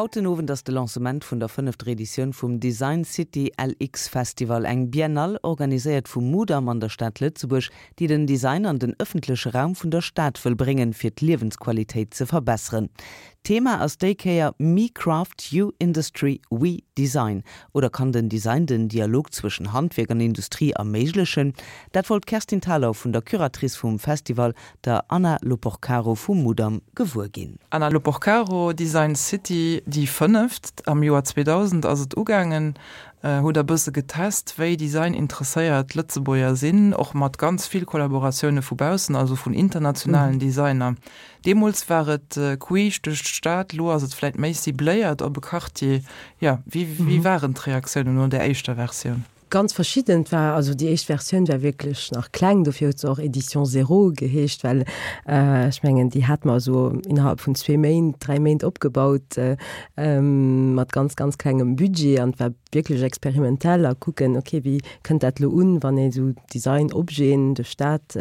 Haut den Owend ass de Lancement vun der fënnefter Editioun vum Design City LX Festival, eng Biennale organiséiert vum Mudam an der Stad Lëtzebuerg, déi den Design an den ëffentleche Raum vun der Stad wëll bréngen, fir d'Liewensqualitéit ze verbesseren. D'Thema ass déi Kéier Me Craft, You Industry, We Design. Oder kann den Design den Dialog zwëschen Handwierk an Industrie erméiglechen? Dat wollt d'Kerstin Thalau vun der Curatrice vum Festival, der Anna Loporcaro vum Mudam gewuer ginn. Anna Loporcaro, Design City, déi fënneft, am Joer 2000 ass et ugaangen, hutt der bësse getest, wéi designinteresséiert d'Lëtzebuerger sinn, och mat ganz vill Kollaboratioune vu baussen, also vun internationalen Designer. Deemools war et queesch duerch d'Stad, elo ass et vläit méi cibléiert op e Quartier. Jo, wéi waren d'Reaktiounen no där éischter Versioun? Ganz verschidden. Et war also déi éischt Versioun war wierklech nach kleng, dofir huet se och Edition Zéro geheescht, well ech mengen déi hate mer esou innerhalb vun zwee Méint, dräi Méint opgebaut mat ganz, ganz klengem Budget an et war wierklech experimentell a kucken, okay wéi kënnt dat elo un, wann ee sou Design-Objeten duerch d'Stad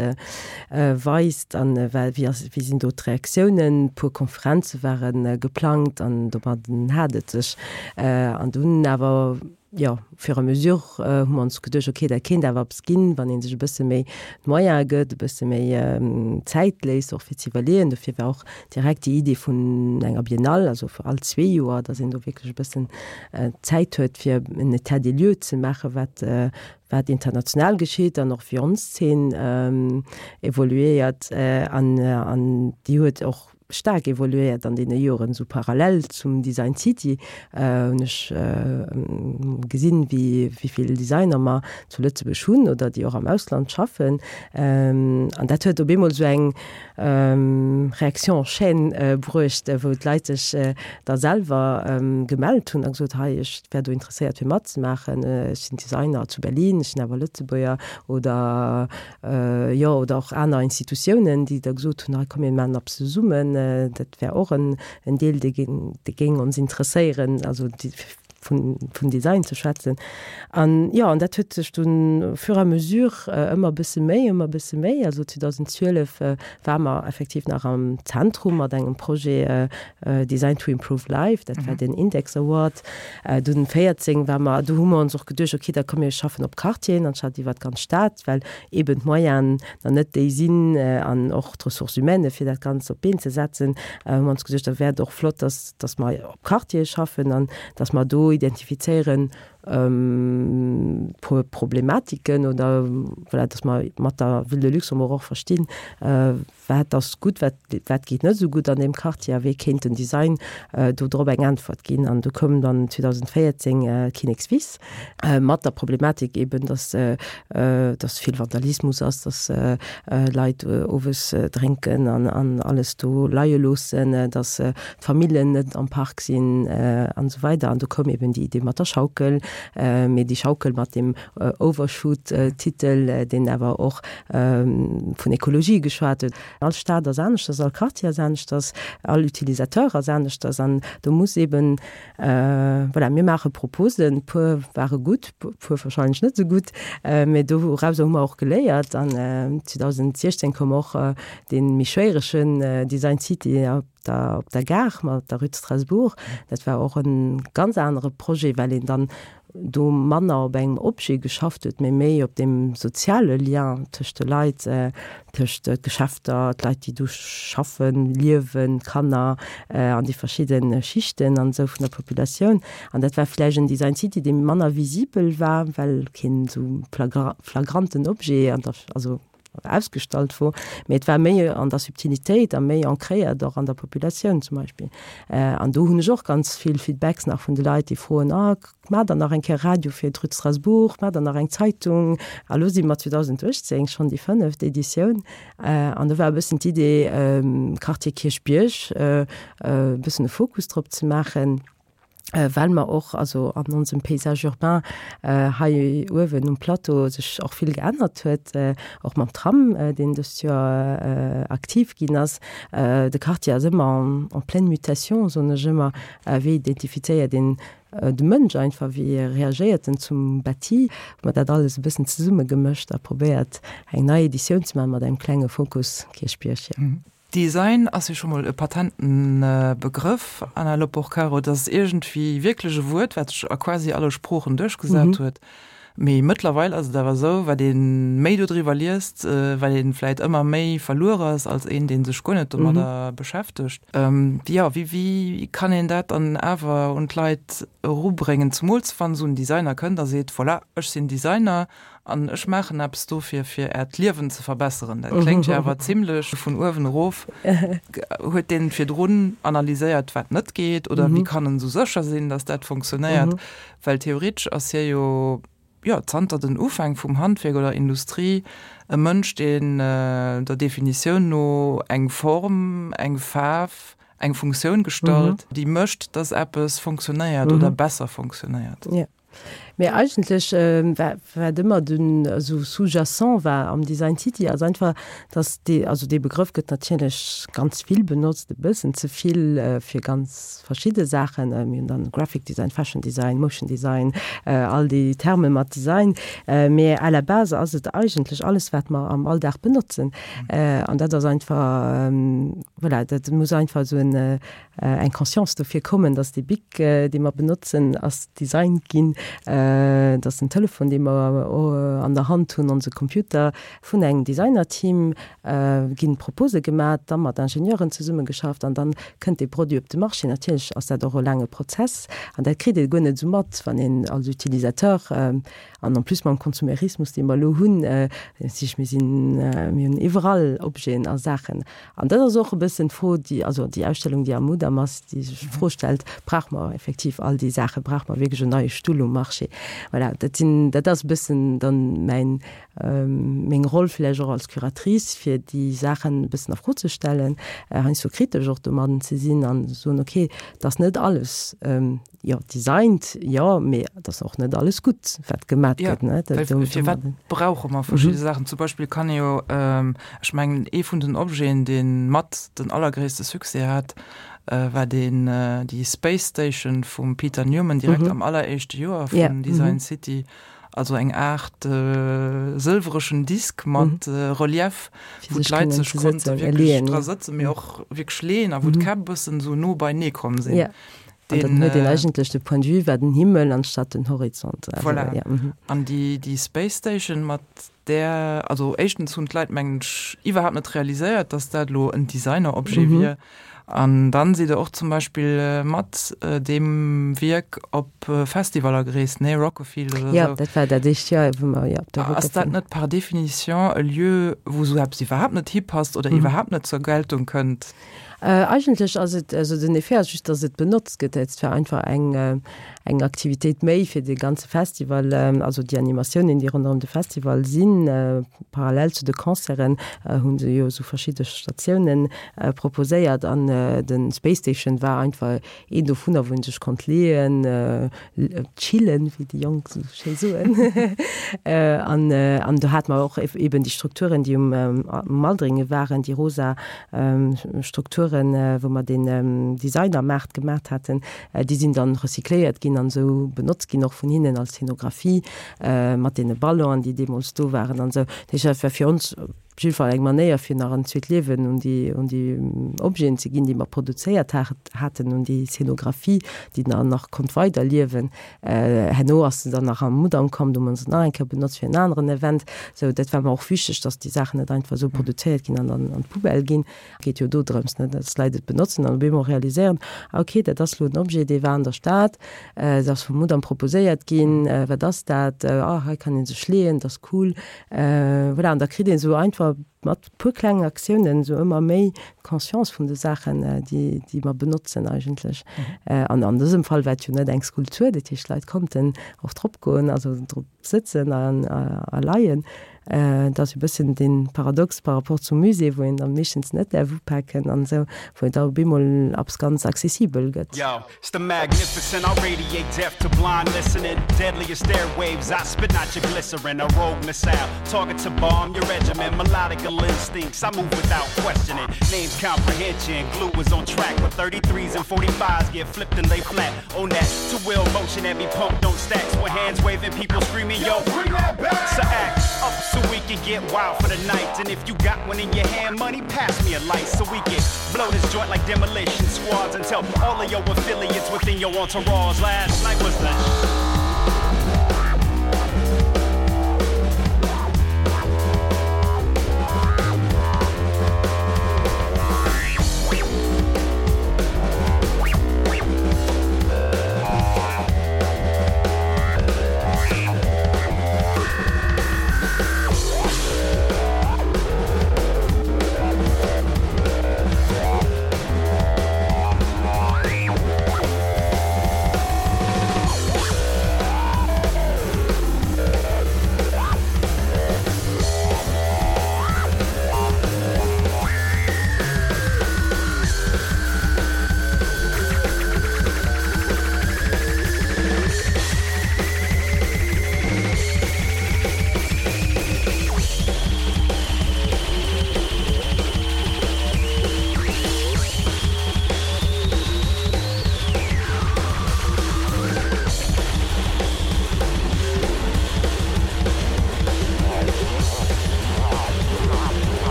weist an wéi ass, wéi sinn do d'Reaktiounen. E puer Konferenze ware geplangt an domadden hat et sech an dunn awer, jo, au fur et à mesure hu mer ons geduecht, okay, dat kéint awer eppes ginn, wann ee sech e bësse méi d'Moyene gëtt, e bësse méi Zäit léisst, och fir ze iwwerleeën. Dofir war och direkt déi Idee vun enger Biennale, also fir all zwee Joer, datt een do wierklech e bëssen Zäit huet, fir en État des lieux ze maachen, wat, wat international geschitt an och wéi ons Zeen evoluéiert. An, an déi huet och staark evoluéiert an deene Joren, esou parallel zum Design City hunn ech gesinn, wéi wéivill Designer mer zu Lëtzebuerg hunn oder déi och am Ausland schaffen. An dat huet op eemol esou eng Réaction en chaîne bruecht, wou d'Leit sech da selwer gemellt hunn a gesot, hei ech wär do interesséiert fir matzemaachen, ech sinn Designer zu Berlin, ech sinn awer Lëtzebuerger oder Jo, oder och aner Institutiounen, déi da gesot hunn, hei komm mir maachen eppes zesummen, dat wär och en Deel, dee géing ons interesséieren, also vun Design ze schwätzen. An jo, an dat huet sech dunn au fur et à mesure ëmmer e bësse méi, ëmmer e bësse méi, also 2012 ware mer effektiv nach am Zentrum mat engem Projet Design to improve life, dat war den Index Award. Dunn 14 war mer, do hu mer ons och geduecht, okay, da komm mir schaffen op Quartieren anstatt iwwer d'ganz Stad, well eben d'Moyenen nach net déi sinn an och d'Ressources humaines, fir dat Ganzt op d'Been ze setzen, hu mer ons geduecht, da wär et och flott, dass, dass mer op Quartiere schaffen an dass mer do identifizéieren, puer Problematiken oder voilà, dass mer mat der Ville de Luxembourg och verstinn, Wat ass gutt, wat, wat geet net esou gutt an deem Quartier a wéi kéint den Design do drop eng Äntwert ginn? An do koum dann 2014 Kinnekswiss mat der Problematik eben, dass, dass vill Vandalismus ass, dass Leit owes drénken an, an alles do leie loossen, dass d'Famillen net am Park sinn an esou weider. An do koum eben déi Idee mat der Schaukel, mee déi Schaukel mat deem Overshoot-Titel, deen awer och vun Ekologie geschwat huet. All Stad ass aneschters, all Quartier ass aneschters, all Utilisateur ass aneschters an do muss eben, voilà, mir maache Proposen, e puer ware gutt, e puer wahrscheinlech net esou gutt, mä dorauser hu mer och geléiert an 2016 koum och dee méi schwéieregen Design City op der, op der Gare mat der Rue de Strasbourg. Dat war och e ganz anere Projet, well een dann do manner op engem Objet geschafft huet, mee méi op deem soziale Lien tëscht de Leit, tëscht d'Geschäfter, d'Leit, déi do schaffen, liewen, d'Kanner an déi verschidde Schichten an esou vun der Populatioun. An dat war vläicht en Design City, dee manner visibel war, well keen esou flagranten Objet an der, also ausgestallt wor, mee et war méi an der Subtilitéit a méi ancréiert och an der Populatioun zum Beispill. An do hunn ech och ganz vill Feedbacks nach vun de Leit, déi froen, ah, maacht der nach eng Kéier Radio fir d'Rue de Strasbourg, maacht der nach eng Zeitung? A lo si mer 2018, schonn déi fënneft Editioun, an do war e bëssen d'Idee, Quartier Kierchbierg e bëssen e Fokus drop ze maachen. well mer och also an onsem Paysage urbain hei uewen um Plateau sech och vill geännert huet, och mam Tram, deen dëst Joer aktiv ginn ass. De Quartier ass ëmmer en pleine mutation, soen ech ëmmer. Wéi identifizéiert een de Mënsch einfach, wéi reagéiert en zum Bâti? Hu mer dat alles e bëssen zesummegemëscht a probéiert, eng nei Editioun ze maachen mat engem klenge Fokus Kierchbierg, jo. Design ass jo scho mol e patenten Begrëff, Anna Loporcaro. Dat ass iergendwéi wierklech e Wuert, wat sech a quasi alle Sproochen duerchgesat huet. Mee mëttlerweil ass et awer esou, wat ee méi dodriwwer liest, wat ee vläit ëmmer méi verluer ass als een, dee sech guer net domadder beschäftegt. Jo, wéi, wéi kann een dat dann awer un d'Leit erubréngen, zemools wann esou en Designer kënnt a seet, Voilà, ech sinn Designer an ech maachen eppes dofir, fir Äert Liewen ze verbesseren. Dat kléngt jo awer zimlech vun uewen erof. Huet deen virdrun analyséiert, wat net geet, oder wéi kann en esou sécher sinn, datt dat funktionéiert? Well theoretesch ass hie jo, jo, zanter den Ufäng vum Handwierk oder Industrie e Mënsch, deen der Definitioun no eng Form, eng Faarf, eng Funktioun gestalt, déi mécht, dass eppes fonctionnéiert oder besser fonctionnéiert. Jo. Mee eigentlech, wat ëmmer den esou sous-jacent war am Design City, ass einfach, dass dee, also dee Begrëff gëtt natierlech ganz vill benotzt, e bëssen ze vill fir ganz verschidde Saachen. Mir hunn dann Graphic Design, Fashion Design, Motion Design, all déi Terme mat Design. Mee à la base ass et eigentlech alles, wat mer am Alldag benotzen. An dat ass einfach, voilà, dat muss einfach esou en, eng Conscience dofir kommen, dass dee Bic, dee mer benotzen, ass designt ginn, dass den Telefon, dee mer an der Hand hunn, onse Computer, vun engem Designerteam ginn Propose gemat, da mat Ingenieuren zesummegeschafft an dann kënnt dee Produit op de Marché. Natierlech ass dat och e laange Prozess an dat kritt ee guer net esou mat, wann een als Utilisateur, an en plus mam Konsumerismus, dee mer elo hunn, sich mir sinn, mir hunn iwwerall Objeten a Saachen. An dat ass och e bëssen d'Fro, déi, also déi Ausstellung, déi am Mudam ass, déi sech d'Fro stellt, Brauche mer effektiv all déi Saachen? Brauche mer wierklech en neie Stull um Marché? Voilà, dat sinn, dat ass e bëssen dann mäin, meng Roll vläicht och als Curatrice, fir déi Saachen e bëssen a Fro ze stellen, heiansdo kritesch och domadden ze sinn an ze soen, okay, et ass net alles, jo, designt, jo, mee et ass och net alles gutt, wat gemat gëtt, ne? Ja, well firwat brauche mer verschidde Saachen? Zum Beispill kann ee jo, ech mengen, ee vun den Objeten, dee mat den allergréisste Succès hat, war deen, déi Space Station vum Peter Newman direkt am alleréischte Joer vun Design City. Also eng Aart sëlwereschen Disk mat Relief, wou d'Leit sech konnte wierklech dra sëtzen, mee och wierklech leeën a wou d'Käpp e bëssen esou no beinee komm sinn. An dann huet een eigentlech de Point de vue war den Himmel anstatt den Horizont. Voilà. An déi Space Station mat där, also éischtens hunn d'Leit mengen ech iwwerhaapt net realiséiert, datt dat elo en Designer-Objet wier. An dann sidd Der och zum Beispill mat deem Wierk op Festivaller gereest, nee, Rockefield oder esou. Jo, dat war dat éischt Joer, wou mer, jo, op der Rockefield. Ass dat net par définition e Lieu, wou esou eppes iwwerhaapt net hipasst oder iwwerhaapt net zur Geltung kënnt? Eigentlech ass et, also den Effet ass just, datt et benotzt gëtt. Et war einfach eng, eng Aktivitéit méi fir de ganze Festival, also déi Animatiounen, déi ronderëm de Festival sinn. Parallel zu de Concerten hu se jo esou verschidde Statiounen proposéiert an de Space Station war einfach een dovunner, wou ee sech konnt leeën, chillen, wéi déi Jonk esou schéi soen. An, an do hate mer och eben déi Strukturen, déi um Maldringen waren, déi rosa Strukturen, wou mer deen Designermaart gemat haten, déi sinn dann recycléiert ginn an esou benotzt ginn, och vun hinnen als Scenographie mat deene Ballonen, déi deemools do waren an esou. Dat heescht, dat war fir ons op jidde Fall eng Manéier, fir nach en zweet Liewen un déi, un déi Objeten ze ginn, déi mer produzéiert haten, un déi Scenographie, déi dann nach konnt weiderliewen. Herno ass se dann nach am Mudam komm, do hu mer se nach eng Kéier benotzt fir en aneren Event. Sou, dat war mer och wichteg, dass déi Saachen net einfach esou produzéiert ginn an dann an d'Poubelle ginn. Et geet jo do drëms, ne, dass d'Leit et benotzen an op eemol realiséieren, ah okay, dat ass elo en Objet, dee war an der Stad, dat ass vum Mudam proposéiert ginn, wat ass dat, ah hei kann ee sech leeën, dat ass cool. Voilà, an da kritt een esou einfach mat puer klengen Aktiounen esou ëmmer méi d'Conscience vun de Saachen, déi, déi mer benotzen eigentlech. An an dësem Fall war et jo net eng Skulptur, dat heescht d'Leit konnten och drop goen, also drop sëtzen an a leien. Et ass e bëssen dee Paradox par rapport zum Musée, wou een da meeschtens net däerf upaken an esou, wou et da op eemol eppes ganz accessibel gëtt. Yo, it's the magnificent, I radiate death to blind listening. Deadliest airwaves, I spit nitroglycerin, a rogue missile. Target to bomb your regiment, melodic. Lethal instincts, I move without questioning. Names comprehension, glue is on track. But 33s and 45s get flipped and lay flat. On that two wheel motion that be pumped on stacks. With hands waving, people screaming, yo, bring that back. So act up so we can get wild for the night. And if you got one in your hand, money, pass me a light so we can blow this joint like demolition squads and tell all of your affiliates within your entourage. Last night was the.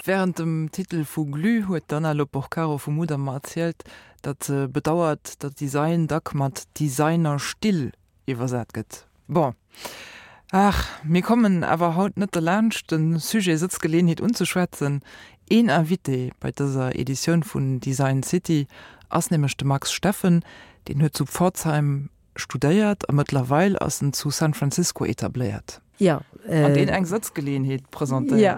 Wärend dem Titel vu Glu huet d'Anna Loporcaro vu Mudam mer erzielt, datt se bedauert, datt Design dack mat Designerstill iwwersat gëtt. Bon, ach, mir kommen awer haut net derlaanscht, de Sujet Sëtzgeleeënheet unzeschwätzen. Een Invité bei dëser Editioun vun Design City ass nämlech de Max Steffen. Deen huet zu Pforzheim studéiert a mëttlerweil ass en zu San Francisco etabléiert. Ja. An deen eng Sëtzgeleeënheet presentéiert. Ja,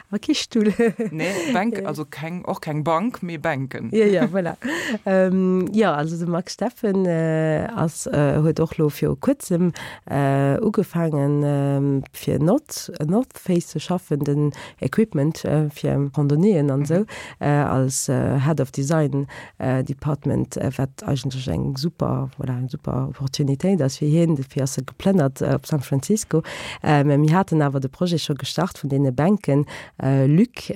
awer kee Stull. Nee, Bänk, also keng, och keng Bank, mee Bänken. Ja, ja, voilà. Jo, also de Max Steffen ass, huet och lo viru kuerzem ugefaangen fir North, North Face ze schaffen, den Equipment fir Randonnéeën an esou, als Head of Design Department, wat eigentlech eng super, voilà, eng super Opportunitéit ass fir hien. Dofir ass e geplënnert op San Francisco. Mä mir haten awer de Projet scho gestart vun deene Bänken, Luc,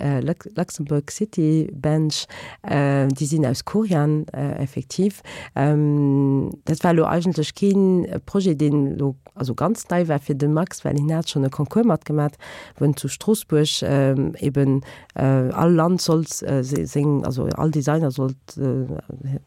Luxembourg City Bench, déi sinn aus Korian effektiv. Dat war elo eigentlech kee Projet, deen elo also ganz nei war fir de Max, well hien hat schonn e Concours matgemat, wou en zu Stroossbuerg eben All Land sollt seng, also all Designer sollt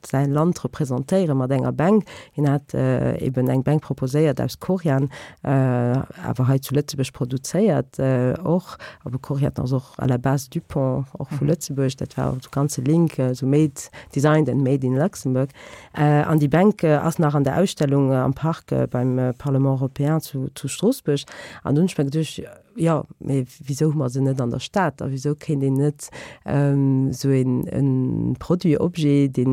säi Land representéiere mat enger Bänk. Hien hat eben eng Bänk proposéiert aus Corian, awer hei zu Lëtzebuerg produzéiert och. Awer Corian ass och à la base Dupont, och vu Lëtzebuerg. Dat war och de ganze Link, esou made, designed and made in Luxembourg. An déi Bänk ass nach an der Ausstellung am Park beim Parlement européen zu Stroossbuerg. An do hunn ech mer geduecht, Jo, mee wisou hu mer se net an der Stad? A wisou kéint een net esou een Produit, Objet, dee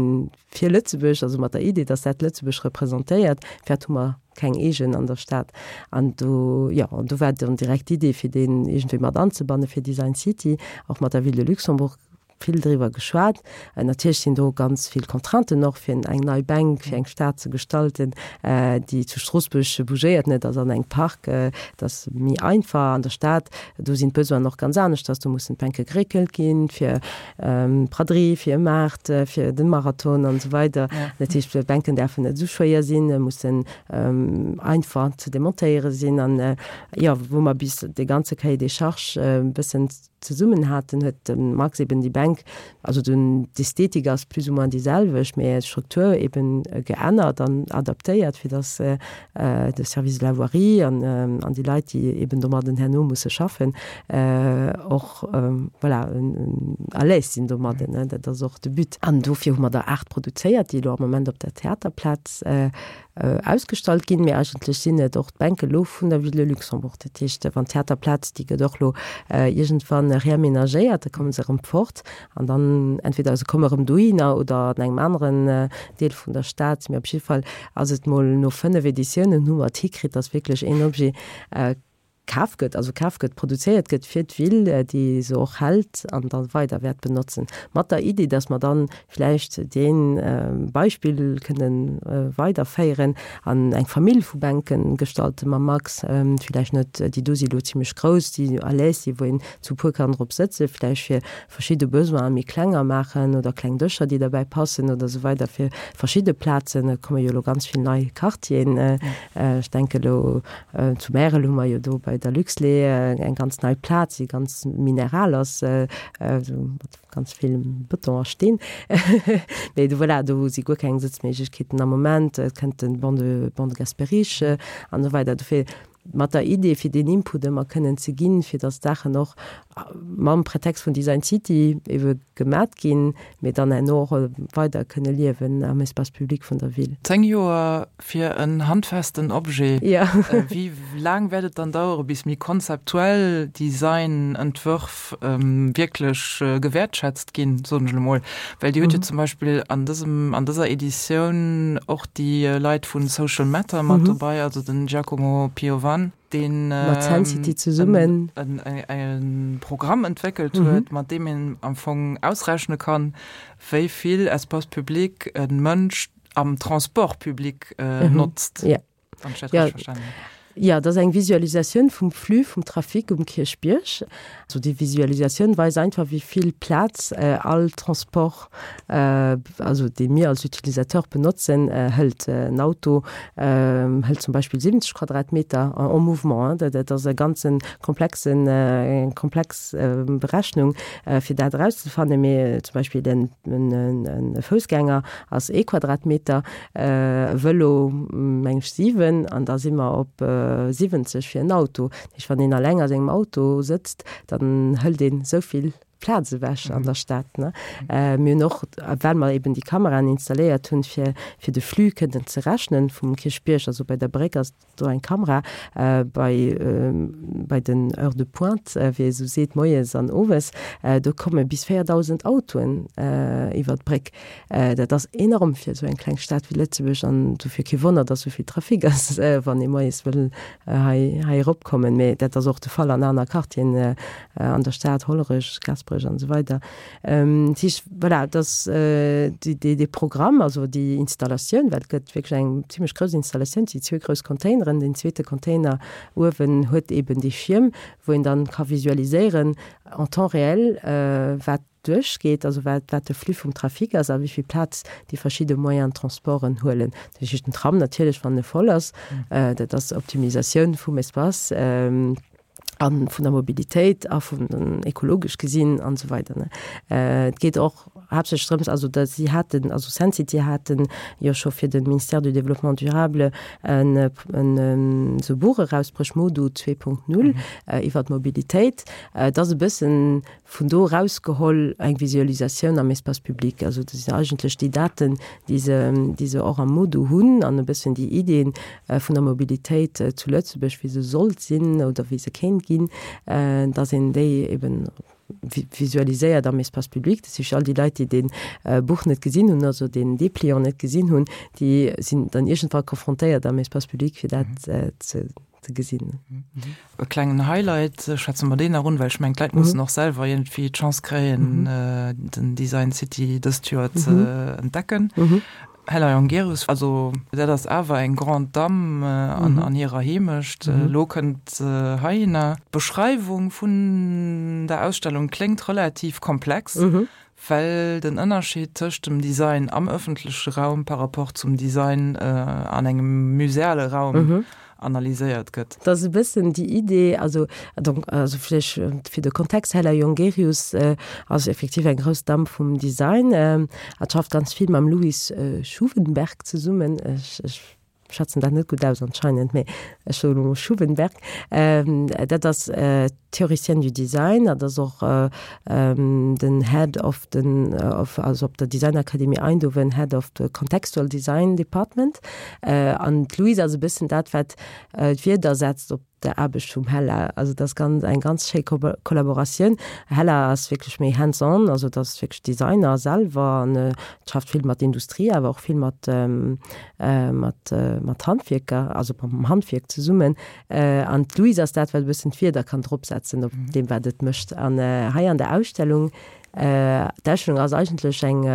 fir Lëtzebuerg, also mat der Idee, datt dat Lëtzebuerg representéiert, firwat hu mer keng eegen an der Stad? An do, jo, an do war dann direkt d'Idee, fir deen iergendwéi mat anzebannen, fir Design City, och mat der Ville de Luxembourg vill driwwer geschwat. Natierlech sinn do ganz vill Contrainten och, fir eng nei Bänk fir eng Stad ze gestalten, déi zu Stroossbuerg bougéiert net, ass an engem Park, dat ass méi einfach. An der Stad, do sinn d'Besoinen och ganz aneschters, do mussen d'Bänke geréckelt ginn fir d'Braderie, fir e Maart, fir de Marathon an esou weider. Dat heescht, d'Bänken däerfen net esou schwéier sinn, mussen einfach ze demontéiere sinn. An jo, wou mer bis dee ganze Cahier des charges e bëssen. zesummen haten, huet de Max eben déi Bänk, also den, d'Ästhetik ass plus ou moins déi selwecht, mä d'Struktur eben geännert an adaptéiert, fir datt de Service de la voirie an an déi Leit, déi eben domadden herno musse schaffen, och voilà, à l'aise sinn domadden. Dat ass och de But. An dofir hu mer der 8 produzéiert, déi elo am Moment op der Theaterplaz ausgestallt ginn, mee eigentlech sinn et och d'Bänke lo vun der Ville de Luxembourg. Dat heescht, wann d'Theaterplaz, déi gëtt och lo iergendwann reaménagéiert, da komme se erëm fort an dann entweder se komme erëm dohinner oder an engem aneren Deel vun der Stad. Mee op jidde Fall ass et mol no 5 Editiounen hu mer et hikritt, datt wierklech een Objet kaf gëtt, also kaf gëtt, produzéiert gëtt fir d'Ville, déi se och hält an da weider wäert benotzen, mat der Iddi, dass mer dann vläicht dee Beispill kënnen weiderféieren an eng Famill vu Bänke gestalten mam Max, vläicht net, déi do si lo zimlech grouss, déi à l'aise si wou een zu puer kann drop sëtzen, vläicht fir verschidde Besoine méi klenger maachen oder kleng Dëscher, déi derbäi passen oder esou weider fir verschidde Plazen. Et komme jo elo ganz vill nei Quartieren, ech denke elo Zu Märel hu mer jo do bei der Luxlait eng ganz nei Plaz, déi ganz mineral ass, esou mat ganz vill Bëton a Steen. Mee do, voilà, do si guer keng Sëtzméiglechkeeten am Moment. Et kënnt de Banc de, Banc de Gasperich an esou weider. Dofir mat der Idee, fir deen Input ëmmer kënnen ze ginn, fir datt d'Saachen och mam Pretext vun Design City ebe gemat ginn, mee dann herno och weider kënne liewen am Espace public vun der Ville. 10 Joer fir en handfesten Objet. Wéi laang wäert et dann dauere bis méi konzeptuell Design-Entwërf wierklech gewäertschätzt ginn, soen ech elo mol? Well Dir hutt jo zum Beispill an dësem, an dëser Editioun och déi Leit vu Social Matter mat dobei, also den Giacomo Piovan, deen mat Sensity zesummen e Programm entwéckelt huet, mat deem een am Fong ausrechne kann, wéi vill Espace public e Mënsch am Transport public notzt. Ja. Wann ech dat richtig verstanen hunn. Jo, dat ass eng Visualisatioun vum Flux vum Trafic um Kierchbierg. Also déi Visualisatioun weist einfach, wéi vill Plaz all Transport, also dee mir als Utilisateur benotzen, hëlt. En Auto hëlt zum Beispill 70 Quadratmeter en mouvement. Dat ass e ganze komplexen, eng komplex Berechnung, fir dat erauszefannen. Mee zum Beispill e Foussgänger ass ee Quadratmeter, e Vëlo meng ech 7 an da si mer op 70 fir en Auto. Dat heescht, wann een alleng a sengem Auto sëtzt, dann hëlt een esou vill Plaz ewech an der Stad. Mir hunn och, well mer eben déi Kameraen installéiert hunn, fir fir de Flux kënnen ze rechnen vum Kierchbierg, also bei der Bréck ass do eng Kamera bei bei den Heures de pointe, wéi ee sou seet, moies an owes, do komme bis 4.000 Autoen iwwer d'Bréck. Dat ass enorm fir esou eng kleng Stad wéi Lëtzebuerg an dofir kee Wonner, datt esou vill Trafic ass, wann ee moies wëll hei hei eropkommen. Mee dat ass och de Fall an aner Quartieren an der Stad, Hollerech, Gaasperech an esou weider. Dat heescht, voilà, et ass dee Programm, also déi Installatioun, well et gëtt wierklech eng zimlech grouss Installatioun, et si zwee grouss Containeren. Deen zweete Container uewen huet eeben dee Schierm, wou een dann ka visualiséieren en temps réel, wat duerchgeet, also wat wat de Flux vum Trafic ass a wéi vill Plaz déi verschidde Moyens de transporten huelen. Dat heescht den Tram natierlech, wann e voll ass, dat ass Optimisatioun vum Espace. A vun der Mobilitéit a vun den ekologesch gesinn an esou weider. Et geet och haaptsächlech drëms, also datt si haten, also Sensity haten jo scho fir de Ministère du Développement durable en en esou Buch erausbruecht, MoDu 2.0, iwwer d'Mobilitéit. Et ass e bëssen vun do erausgeholl eng Visualisatioun am Espace public. Also dat sinn eigentlech déi Daten, déi se, déi se och am MoDu hunn an e bëssen déi Iddien vun der Mobilitéit zu Lëtzebuerg, wéi se sollt sinn oder wéi se kéint ginn, dass een déi eben visualiséiert am Espace public. Dat heescht, all déi Leit, déi dee Buch net gesinn hunn, also deen Dépliant net gesinn hunn, déi sinn dann iergendwann confrontéiert am Espace public, fir dat ze ze gesinn. E klengen Highlight, schwätze mer deen nach un, well ech mengen, d'Leit mussen och selwer iergendwéi d'Chance kréien, den Design City dëst Joer ze entdecken. Hella Jongerius, also dat ass awer eng Grande Dame an hirer Heemecht. Elo kënnt se heihinner. D'Beschreiwung vun der Ausstellung kléngt relativ komplex. Well den Ënnerscheed tëscht dem Design am ëffentleche Raum par rapport zum Design an engem museale Raum mhm. analyséiert gëtt. Dat ass e bëssen déi Idee, also donc, also vläicht fir de Kontext, Hella Jongerius ass effektiv eng grouss Damm vum Design a schafft ganz vill mam Louis Schuwenberg zesummen. Ech, ech schwätzen dat net gutt aus anscheinend, mee ech soen elo mol Schuwenberg. Dat ass Théoricienne du Design, dat ass och den Head of den, of, also op der Designakademie Eindhoven, Head of the Contextual Design Department. An d'Louise ass e bëssen dat, wat d'Wierder setzt op der Aarbecht vum Hella. Also dat ass ganz, eng ganz schéi Kollaboratioun. Hella ass wierklech méi hands-on, also dat ass wierklech Designer selwer an schafft vill mat Industrie, awer och vill mat, mat, mat Handwierker, also mam Handwierk zesummen. An d'Louise ass dat, wat e bëssen d'Wierder kann dropsetzen op deem, wat et mécht. An hei an der Ausstellung, d'Ausstellung ass eigentlech eng,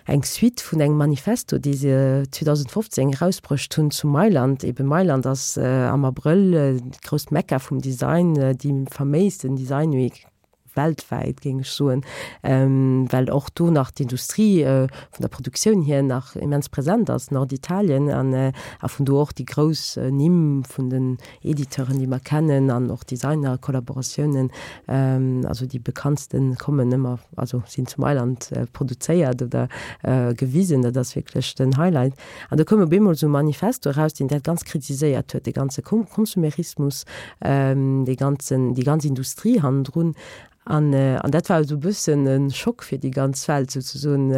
eng Suite vun engem Manifesto, dee se 2015 erausbruecht hunn zu Mailand. Eben Mailand ass am Abrëll d'grousst Mekka vum Design, déi faméisten Design Week weltwäit, géing ech soen, well och do nach d'Industrie vun der Produktioun hier nach immens present ass, Norditalien, an a vun do och déi grouss Nimm vun den Editeuren, déi mer kennen, an och Designer-Kollaboratiounen, also déi bekanntste kommen ëmmer, also sinn zu Mailand produzéiert oder gewisen, dat ass wierklech den Highlight. An do koum op eemol esou e Manifesto eraus, deen dat ganz kritiséiert huet, de ganze Konsumerismus, dee ganzen, déi ganz Industrie hannendrun. An, an dat war esou e bëssen e Schock fir déi ganz Welt souzesoen.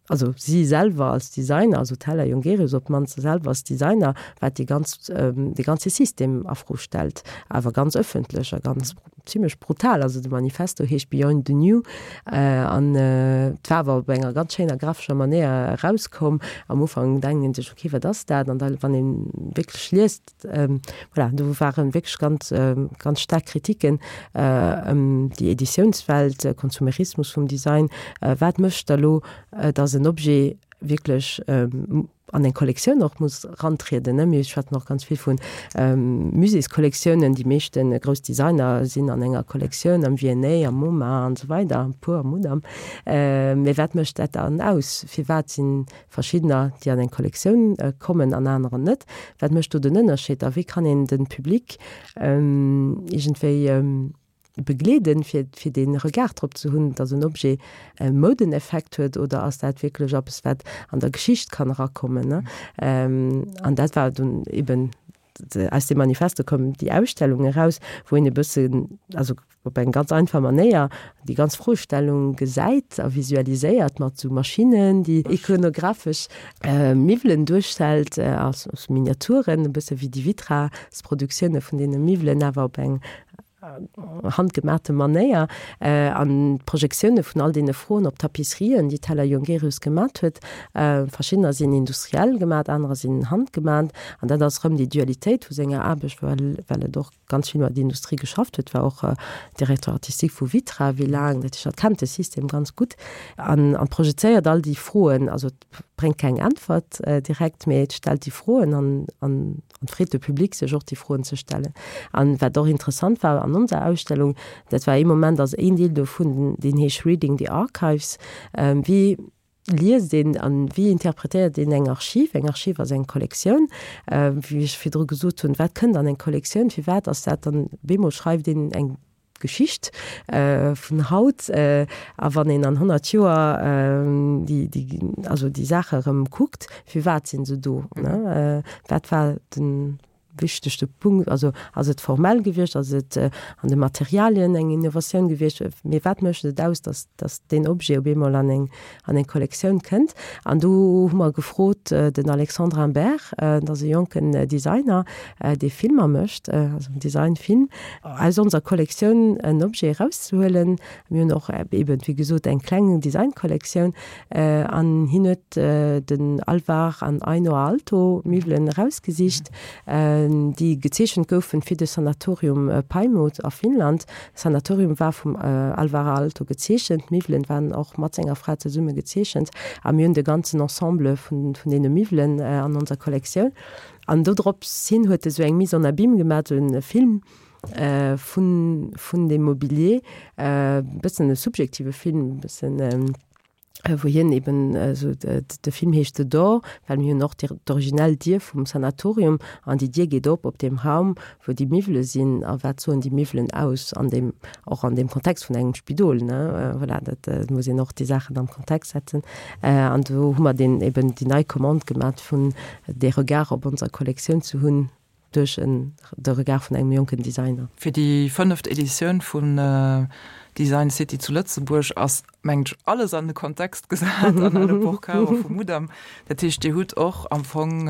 Also si selwer als Designer, also d'Hella Jongerius op d'mannst selwer als Designer, wat dee ganz, dee ganze System a Fro stellt, awer ganz ëffentlech a ganz zimlech brutal. Also de Manifesto heescht Beyond the New an et war awer op enger ganz schéiner graphescher Manéier erauskomm. Am Ufank denkt een sech, okay, wat ass dat? An da wann ee wierklech liest, voilà, do ware wierklech ganz, ganz staark Kritiken ëm déi Editiounswelt, Konsumerismus vum Design. Wat mécht da lo, datt en Objet wierklech an eng Kollektioun och muss rantrieden, ne? Mir schwätzen och ganz vill vu Muséeskollektiounen. Déi meeschte grouss Designer sinn an enger Kollektioun, am V&A, am MoMA an esou weider, e puer am Mudam. Mee wat mécht dat dann aus? Firwat si verschiddener, déi an eng Kollektioun kommen an anerer net? Wat mécht do den Ënnerscheed a wéi kann een de Public iergendwéi begleeden, fir fir dee Regard drop ze hunn, datt en Objet e Moudeneffekt huet oder ass dat wierklech eppes, wat an der Geschicht kann erakommen, ne? An dat war dunn eben, aus deem Manifesto koum déi Ausstellung eraus, wou een e bëssen, also op eng ganz einfach Manéier déi ganz Froestellung gesäit a visualiséiert mat esou Maschinnen, déi ikonographesch Miwwelen duerstellt, als Miniaturen, e bësse wéi déi Vitra-Produktioune vun deene Miwwelen, awer op eng handgemaachte Manéier an d'Projektioune vun all deene Froen op Tapisserien, déi d'Hella Jongerius gemat huet. Verschiddener sinn industriell gemat, anerer sinn handgemat. An dat ass erëm déi Dualitéit vu senger Aarbecht, well well et och ganz vill mat Industrie geschafft huet, war och Directeur artistique vu Vitra wéi laang, dat heescht, hatt kennt de System ganz gutt an an projezéiert all déi Froen. Also et bréngt keng Äntwert direkt, mee et stellt déi Froen an an An freet de Public sech och déi Froen ze stellen. An wat och interessant war an onser Ausstellung, dat war ee Moment, ass een Deel dovun, deen heescht Reading the Archives, wéi liest een an wéi interpretéiert een eng Archiv? Eng Archiv ass eng Kollektioun, wéi ech virdru gesot hunn, wat kënnt an eng Kollektioun, firwat ass dat dann, bemol schreift een eng Geschicht vun haut, a wann een an 100 Joer déi, déi, also déi Saache erëm kuckt, firwat sinn se do, ne? Wat war de wichtegste Punkt? Also ass et formell gewiescht, ass et an de Materialien eng Innovatioun gewiescht? Mee wat mécht et aus, datt, datt deen Objet op eemol an eng, an eng Kollektioun kënnt? An do hu mer gefrot den Alexandre Imbert, dat ass e jonken Designer, dee Filmer mécht, also Designfilm, aus onser Kollektioun en Objet erauszehuelen. Mir hunn och eben, wéi gesot, eng kleng Designkollektioun an hien huet den Alvar an Aino Aalto Miwwelen erausgesicht, déi gezeechent goufen fir de Sanatorium Paimut a Finnland. Sanatorium war vum Alvar Aalto gezeechent, d'Miwwelen waren och mat senger Fra zesumme gezeechent a mir hunn de ganzen Ensemble vun deene Miwwelen an onser Kollektioun. An dodrops hin huet e sou eng Mise en abîme gemaat, sou en Film vun, vun dem Mobilier, e bëssen e subjektive Film, e bëssen. Wou hien eben esou, de Film heescht The Door, well mir hunn och d'originell Dier vum Sanatorium an déi Dier geet op op deem Raum, wou déi Miwwele sinn. A wat soen déi Miwwelen aus an deem, och an deem Kontext vun engem Spidol, ne? Voilà, dat muss een och déi Saachen am Kontext setzen. An do hu mer deen eben déi nei Commande gemat vun dee Regard op onser Kollektioun ze hunn, duerch en de Regard vun engem jonken Designer. Fir déi fënneft Editioun vun Design City zu Lëtzebuerg ass, mengen ech, alles an de Kontext gesat an alle Porcaro vum Mudam. Dat heescht, Dir hutt och am Fong,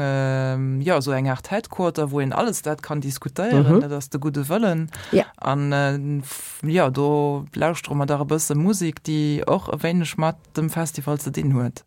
jo, esou eng Aart Headquarter, wou een alles dat kann diskutéieren. Dat ass de gudde Wëllen. An, jo, do lauschtere mer dach e bësse Musek, déi och e wéineg mat dem Festival ze dinn huet.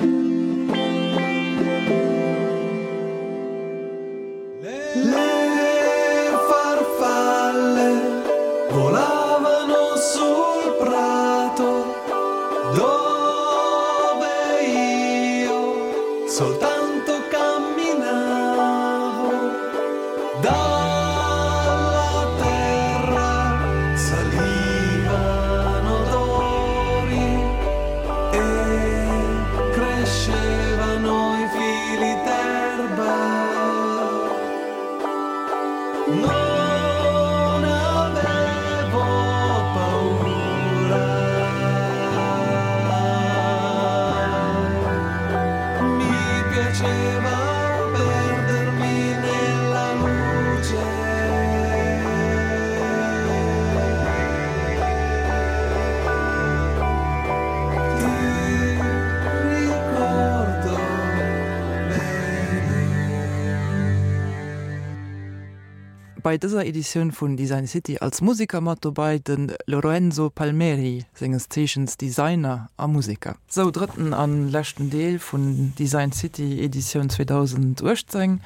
Bei dëser Editioun vun Design City als Museker mat dobei de Lorenzo Palmeri, senges Zeechens Designer a Museker. Sou, drëtten an leschten Deel vun Design City Editioun 2018.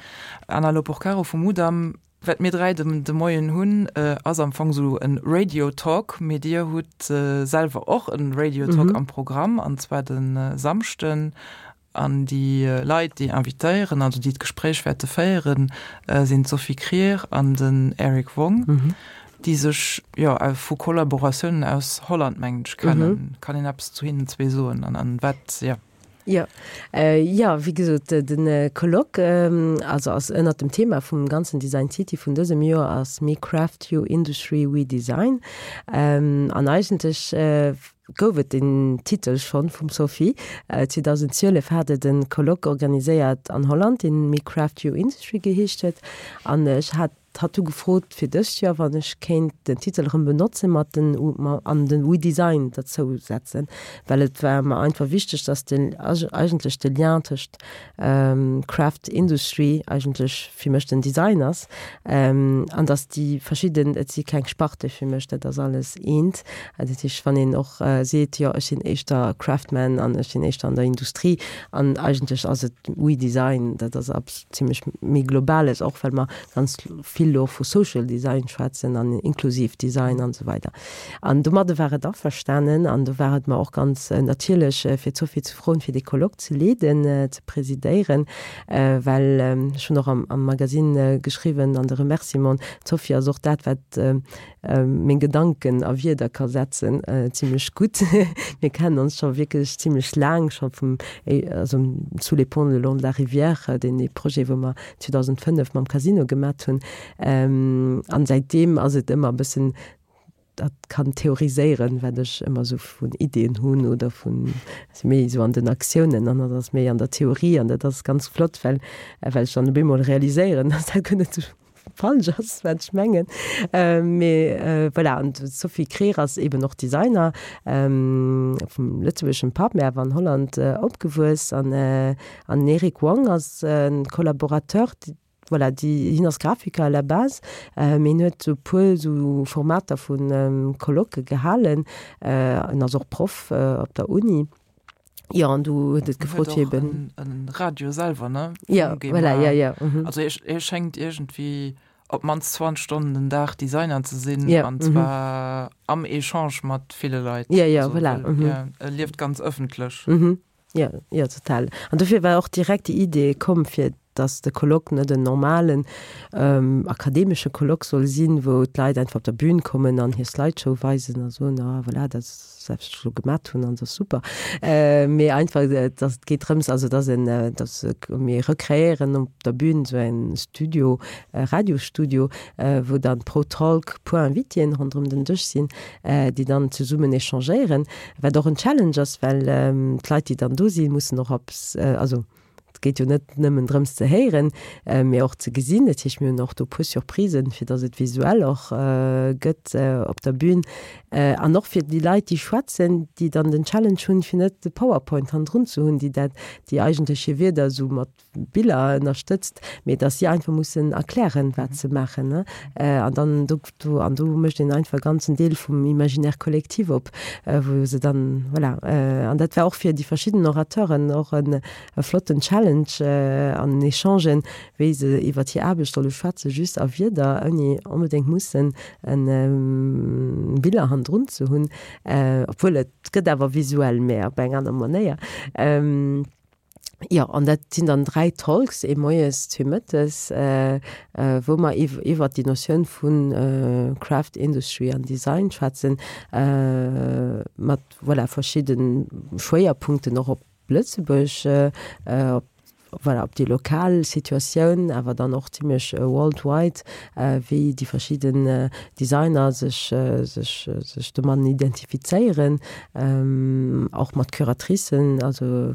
Anna Loporcaro vum Mudam, Wat mir 3 de Moien hunn, ass am Fong esou e Radio Talk, mee Dir hutt selwer och e Radio Talk am Programm, an zwar de Samschden. An déi Leit, déi invitéieren, also déi d'Gespréich wäerte féieren, sinn d'Sophie Krier an den Eric Wong, déi sech jo vu Kollaboratiounen aus Holland, mengen ech, kennen. Kann een eppes zu hinnen zwee soen an wat, jo. Jo, jo, wéi gesot, de Colloque, also ass ënnert dem Thema vum ganzen Design City vun dësem Joer ass Me Craft You Industry We Design. An eigentlech gouf et deen Titel schonn vum Sophie. 2012 hat et e Colloque organiséiert an Holland, deen Me Craft You Industry geheescht huet. An ech hat Hatt hu gefrot fir dëst Joer, wann ech kéint den Titel erëm benotzen, mat den an den We Design derzou setzen, well et war mer einfach wichteg, dass den eigentlech de Lien tëscht Craft Industry eigentlech fir mech den Design ass an dass déi verschidden, et si keng Sparte fir mech, dat ass alles eent. Dat heescht, wann een och seet, jo ech sinn éischter Craftman an ech sinn éischter an der Industrie an eigentlech ass et We Design, dat ass zimlech méi globales, och well mer ganz vill elo vu Social Design schwätzen an inklusiv Design an esou weider. An domadde war et averstanen an do war et mer och ganz natierlech, fir d'Sophie ze froen, fir dee Colloque ze leeden, ze presidéieren, well ech hunn och am Magasinn geschriwwen an de Remerciementen, d'Sophie ass och dat, wat meng Gedanken a Wierder ka setzen, zimlech gutt. Mir kennen ons scho wierklech zimlech laang, scho vum, also Sous les ponts le long de la rivière, deen ee Projet, wou mer 2005 mam Casino gemat hunn. An säitdeem ass et ëmmer e bëssen, dat kann theoriséieren, wat ech ëmmer esou vun Ideeën hunn oder vun, ass méi esou an den Aktiounen an dat ass méi an der Theorie an dat ass ganz flott, well, well ech dann op eemol realiséieren, dass dat guer net esou falsch ass, wat ech mengen. Mee voilà, an d'Sophie Kreer ass eben och Designer, vum lëtzebuergeschem Papp, mee awer an Holland opgewuess. An an den Eric Wong ass e Collaborateur, voilà, déi, hien ass Grafiker à la base, mee hien huet esou e puer esou Formater vu Colloquë gehalen. En ass och Proff op der Uni. Jo, an du huet et gefrot fir eben. En Radio selwer, ne? Ja, voilà, ja, ja. Mhm. Also hie schéngt iergendwéi op d'mannst 20 Stonnen den Dag Designer ze sinn, ja, an zwar mhm. am Echange mat ville Leit. Ja, ja, also, voilà. Mhm. Ja, e lieft ganz ëffentlech. Mhm. Ja, ja, total. An dofir war och direkt déi Idee komm fir. dass de Colloque net en normalen akademesche Colloque soll sinn, wou d'Leit einfach op der Bühn kommen an hir Slideshow weisen a soen, ah voilà, dat ass wat ech elo gemat hunn an dat ass super. Mee einfach, dass et geet drëms, also dass en, dass mir recréieren op der Bühn esou en Studio, e Radiosstudio, wou dann pro Talk puer Invitéen ronderëm den Dësch sinn, déi dann zesummen échangéieren, wat och en Challenge ass, well d'Leit, déi dann do sinn, mussen och op, also Et geet jo net nëmmen drëms ze héieren, mee och ze gesinn. Dat heescht, mir hunn och do e puer Surprisen, fir datt et visuell och gëtt op der Bühn. An och fir déi Leit, déi schwätzen, déi dann den Challenge hunn, fir net de PowerPoint hannendrun ze hunn, déi dat, déi eigentlech hir Wierder esou mat Biller ënnerstëtzt, mee datt si einfach mussen erklären, wat se maachen. An dann do, do, an do mécht een einfach e ganzen Deel vum Imaginaire collectif op, wou se dann, voilà. An dat war och fir déi verschidden Orateuren och en e flotten Challenge an en Echange, wéi se iwwert hir Aarbecht solle schwätzen, just a Wierder, ouni onbedéngt mussen Biller hannendrun ze hunn, obwuel et gëtt awer visuell, mä op eng aner Manéier. Jo, an dat sinn dann 3 Talks, ee moies, zwee mëttes, wou mer iwwert déi Notioun vu Craft Industry an Design schwätzen, mat, voilà, verschidde Schwéierpunkten och op Lëtzebuerg, op, voilà, op déi lokal Situatioun, awer dann och zimlech worldwide, wéi déi verschidden Designer sech, sech, sech domatten identifizéieren, och mat Curatricen, also,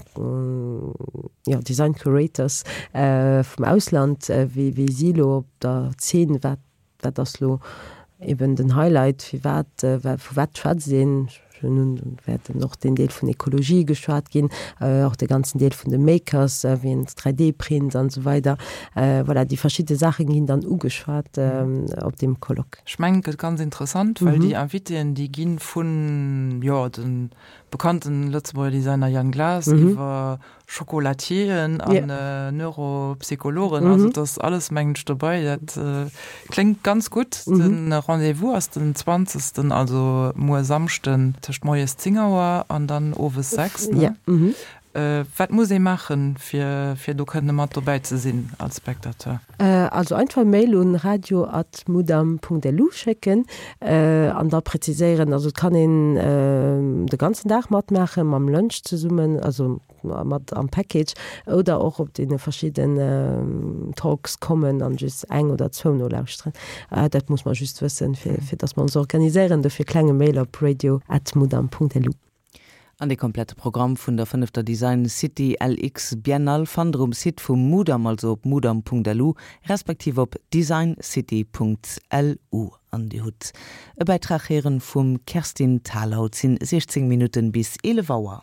jo, Design Curators vum Ausland, wéi, wéi si elo op der Zeen, wat Wat ass lo eben den Highlight, firwat, vu wat schwätzt een? Nun wäerten och deen Deel vun Ekologie geschwat ginn, och de ganzen Deel vun de Makers, wéi een 3D-Print an esou weider. Voilà, déi verschidde Saache ginn dann ugeschwat op deem Colloque. Ech mengen, et gëtt ganz interessant, well déi Invitéen, déi gi vun, jo, de bekannten Lëtzebuerger Designer Yann Glas iwwer Chocolatieren an yeah. Neuropsychologen, mhm. also das alles mengen ech dobei. Dat äh, kléngt ganz gutt. Mhm. Den Rendez-vous ass den 20. also muer Samschden tëscht moies 10 Auer an dann owes 6. Ne? Ja. Mhm. Äh, wat muss ee maachen, fir, fir do kënne mat dobäi ze sinn als Spectateur? Also einfach Mail un radio at mudam Punkt lu schécken an da präziséieren. Also et kann een de ganzen Dag matmaachen, mam Lunch zesummen, also mat am Package, oder och op deene verschidden Talks kommen an just eng oder zwou nolauschteren. Dat muss mer just wëssen, fir fir dass mer ons organiséieren. Dofir klenge Mail op radio at mudam Punkt lu. An de komplette Programm vun der fënnefter Design City LX Biennale fannt der um Site vum Mudam, also op mudam.lu respektiv op designcity.lu. An Dir hutt e Bäitrag héieren vum Kerstin Thalau. Et sinn 16 Minutten bis 11 Auer.